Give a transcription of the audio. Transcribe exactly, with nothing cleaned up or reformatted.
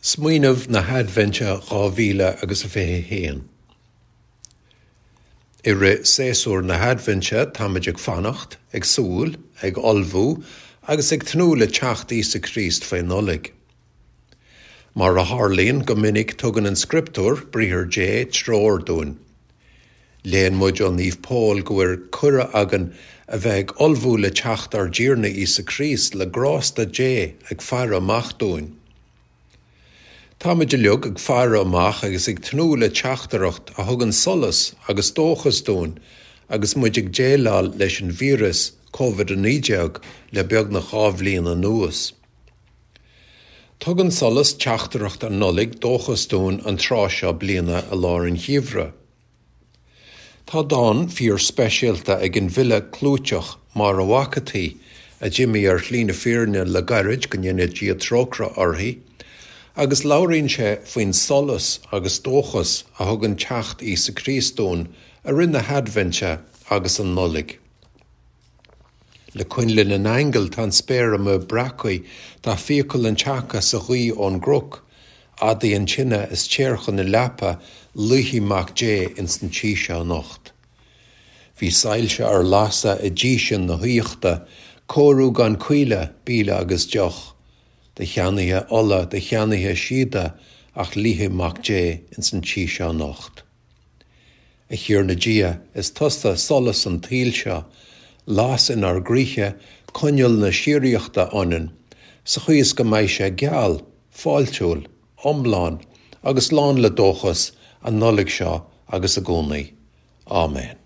Smaoineamh na hAidbhinte dhá mhíle agus a fiche a haon. I rith séasúr na hAidbhinte táimid ag fanacht, ag súil, ag ullmhú agus ag tnúth le teacht Íosa Críost faoi Nollaig. Mar a tharlaíonn go minic tugann an Scrioptúr, Briathar Dé, treoir dúinn. Léann muid ó Naomh Pól go bhfuil cuireadh againn a bheith ag ullmhú le teacht ár dTiarna Íosa Críost le grásta Dé ag faire amach dúinn. Táimid uilig ag faire amach agus ag tnúth le teachtaireacht a thugann solas agus dóchas dúinn agus muid ag déileáil leis an víreas Covid a naoi déag le beagnach dhá bhliain anuas. Tugann solas teachtaireacht an Nollaig dóchas dúinn an tráth seo bliana i lár an gheimhridh. Tá dán fíor-speisialta ag an bhfile clúiteach Máire Mhac an tSaoi, a d'imigh ar shlí na fírinne le gairid, go ndéana Dia trócaire uirthi, agus labhraíonn sé faoin solas agus dóchas a thugann teacht Íosa Críost dúinn i rith na hAidbhinte agus an Nollaig. Le coinnle na n-aingeal tá an spéir amuigh breactha, tá fiacail an tseaca sa ghaoth ón gcnoc, adaigh an tine is téir chun na leapa, luífidh Mac Dé ins an tí seo anocht. Bhí soilse ar lasadh i dtí sin na haíochta, cóiriú gan caoile, bíle agus deoch. Do cheannaithe ola, do cheannaithe síoda, ach luífidh Mac Dé ins an tí seo anocht. A Thiarna Dia, is tusa solas an tsaoil seo, las inár gcroíthe coinneal na síoraíochta ionainn, sa chaoi is go mbeidh sé geal, fáiltiúil, iomlán agus lán le dóchas an Nollaig seo agus i gcónaí. Áiméan.